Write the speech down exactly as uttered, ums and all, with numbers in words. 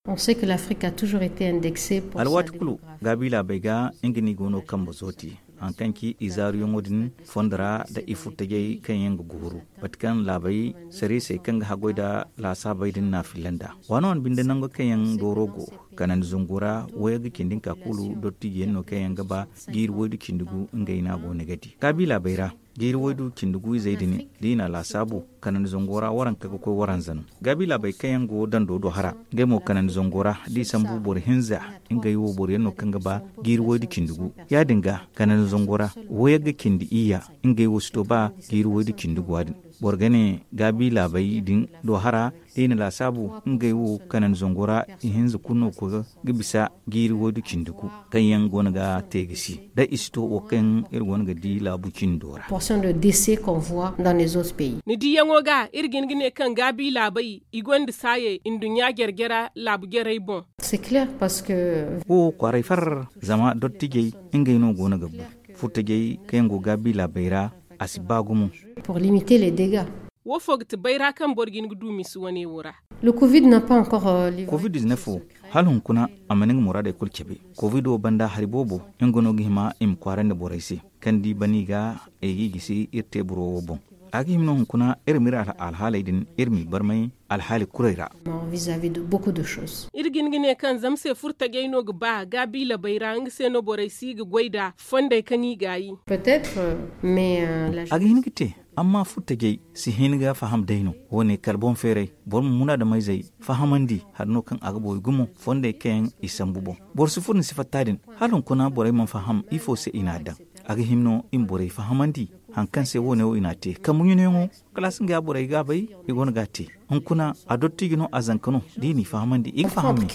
On sait que l'afrique a toujours été indexée pour alwaati kulu. Gaabi laabey ga nga no i go no kambe zooti haŋ kaŋ ci i zaaruyaŋo din fondo ra nda i furtajey kaŋ yaŋ ga gooru mate kaŋ laabey sariisey kaŋ ga haggoy nda laasaabey din na a filla nd'a. Waano wane binde nango kaŋ yaŋ dooro go kanandi zango ra wayey ga cindi nka kulu dottijiyaŋ no kaŋ yaŋ ga ba jiiri waydu cindi gu ngey no a go no ga di gaabi laabey ra. Jiiri waydu cindi gu izey din da i na a laasaabu kanandi zango ra waranka ga koy waranza no. Gaabi laabey kaŋ yaŋ go dando do hara ngey mo kanandi zango ra da i sambu boro hinza. Ngey wo boro yaŋ no kaŋ ga ba jiiri waydu cindi gu ya- din ga kanandi zango ra wayey ga cindi iyya. Ngey wo si to ba jiiri waydu cindi gu ya- din. Boro ga ne gaabi laabey din do hara da i na laasaabu ngey wo kanandi zango ra ihinza kulu no ga bisa jiiri waydu cindi gu kaŋ yaŋ go no ga te ga si da i si to wo kaŋ iri go no ga di laabu cindo ra. Portion de décès qu'on voit dans les autres pays. Ni diyaŋo ga iri ga hin ga ne kaŋ gaabi laabey i gonda saayey nduɲɲa jare-jare laabu jarey boŋ. C'est clair parce que wo kwaaray far zama dottijey ngey no go no ga bu furtajey kaŋ yaŋ go gaabi laabey ra a si ba gumo. Pour limiter les dégâts. Wo fo ga ti bayra kaŋ boro ga hin ga du misi wane wo ra. Le covid n'a pas encore covid dix-neuf wo hala hunkuna a mana nga muraadey kulu cabe. Covid wo banda hari boobo nga no ga hima i ma kwaarandi borey se kaŋ da i ban i ga ay ga i gisi iri teeburo wo boŋ. A ga hima no hunkuna iri ma iri alhaaley din iri m'i barmay alhaali kurey ra. Iri ga hin ga ne kaŋ zama se furtajey no ga ba gaabiila bay ra nga se no borey si ga goy nd'a fondey kaŋ i gaayi. A ga hin ga te amma furtajey si hin ga faham day no. Wo- ne kala boŋ feeray boro ma munaadameyzey fahamandi hari no kaŋ a ga boori gumo fondey kaŋ yaŋ i sambu boŋ. Boro si furo ni si fatta din hala hunkuna borey mana faham ifo se i n'a daŋ. A ga hima no i ma borey fahamandi hari kaŋ se wo- ne wo i n'a te kambe ɲunayaŋo kala a si nga ya borey ga a bay i go no ga a te. Hunkuna a dottijo no a zanka no da i n'i fahamandi i ga fahamandi.